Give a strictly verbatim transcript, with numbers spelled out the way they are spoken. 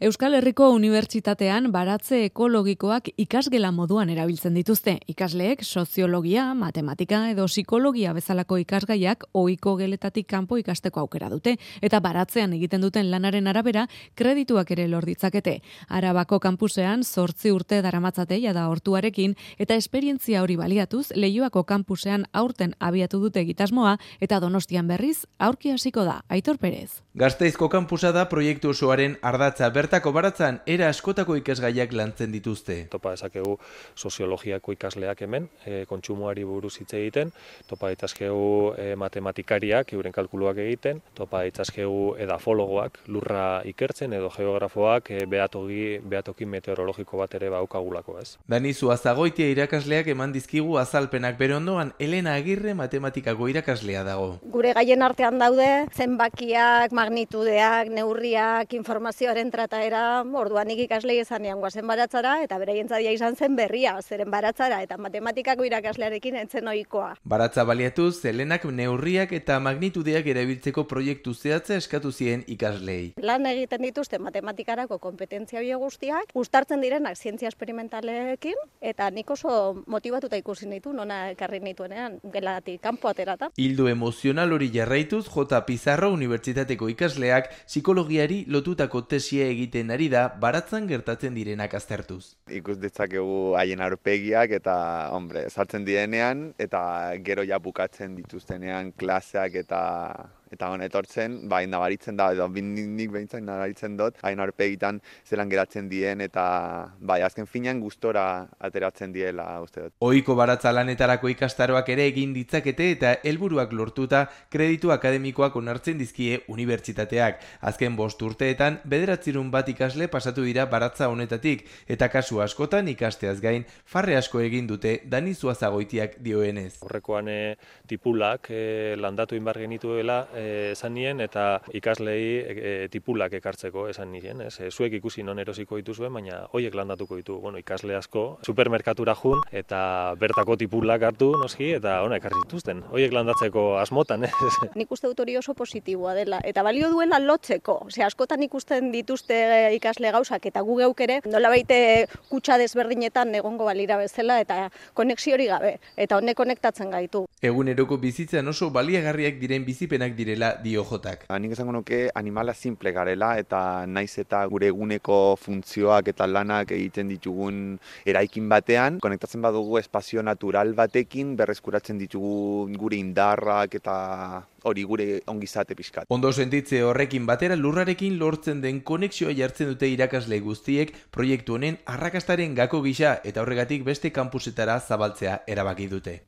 Euskal Herriko Unibertsitatean baratze ekologikoak ikasgela moduan erabiltzen dituzte. Ikasleek soziologia, matematika edo psikologia bezalako ikasgaiak ohiko geletatik kanpo ikasteko aukera dute eta baratzean egiten duten lanaren arabera kredituak ere lor ditzakete. Arabako kanpusean zortzi urte daramatzate jada hortuarekin eta esperientzia hori baliatuz Leioako kanpusean aurten abiatu dute egitasmoa eta Donostian berriz aurki hasiko da. Aitor Perez. Gasteizko kanpusa da proiektu osoaren ardatza. Bertako baratzan era askotako ikasgaiak lantzen dituzte. Topa dezakegu soziologiako ikasleak hemen, e, kontsumoari buruz hitz egiten, topa ditzakegu e, matematikariak, euren kalkuluak egiten, topa ditzakegu edafologoak, lurra ikertzen edo geografoak e, behatoki, behatoki meteorologiko bat ere baukagulako, ez. Dani Zuazagoitia irakasleak eman dizkigu azalpenak, bere ondoan Elena Agirre matematikako irakaslea dago. Gure gaien artean daude zenbakiak, magnitudeak, neurriak, informazioaren trataera, orduan nik ikaslei ezanean guazen baratzara, eta beraientzadia izan zen berria, zeren baratzara, eta matematikako irakaslearekin entzen ohikoa. Baratza baliatuz, Elenak neurriak eta magnitudeak erabiltzeko proiektu zehatza eskatu zien ikaslei. Lan egiten dituzte matematikarako kompetentzia bio guztiak, uztartzen direnak zientzia esperimentalekin, eta nik oso motibatuta ikusi nitu, nona ekarri nituenean, gelatik kanpo aterata. Hildo emozional hori jarraituz, J. Pizarro Unibertsitateko ikasleak psikologiari lotutako tesia egiten ari da baratzan gertatzen direnak aztertuz. Ikus ditzakegu haien aurpegiak eta, hombre, sartzen direnean eta gero ja bukatzen dituztenean klaseak eta eta hon etortzen, ba, nabaritzen da, edo nik behintzak nabaritzen dut, hain aurpegitan zelan geratzen dien, eta bai, azken finean gustora ateratzen diela, uste dut. Ohiko baratza lanetarako ikastaroak ere egin ditzakete eta helburuak lortuta kreditu akademikoak onartzen dizkie unibertsitateak. Azken bost urteetan, bederatzirun bat ikasle pasatu dira baratza honetatik, eta kasu askotan ikasteaz gain, farre asko egin dute Dani Zuazagoitiak dioenez. Horrekoan e, tipulak e, landatu inbar genituela, esan nien, eta ikaslei e, tipulak ekartzeko esan nien, ez? E, zuek ikusi non erosiko dituzuen, baina hoiek landatuko ditu, bueno, ikasle asko, supermerkatura jun, eta bertako tipulak hartu, noski, eta ona ekarri dituzten, hoiek landatzeko asmotan, ez? Nik uste dut hori oso positiboa dela, eta balio duela lotzeko, ose, askotan ikusten dituzte ikasle gauzak, eta gu geuk ere, nola baite kutsa desberdinetan egongo balira bezala, eta konexio hori gabe, eta honek konektatzen gaitu. Eguneroko bizitzan oso baliagarriak diren bizipenak direla dio Jotak. Nik esango nuke animala simple garela eta naiz eta gure eguneko funtzioak eta lanak egiten ditugun eraikin batean, konektatzen badugu espazio natural batekin, berreskuratzen ditugu gure indarrak eta hori gure ongizate pixkat. Ondo sentitze horrekin batera lurrarekin lortzen den konexioa jartzen dute irakasle guztiek proiektu honen arrakastaren gako gisa eta horregatik beste kanpusetara zabaltzea erabaki dute.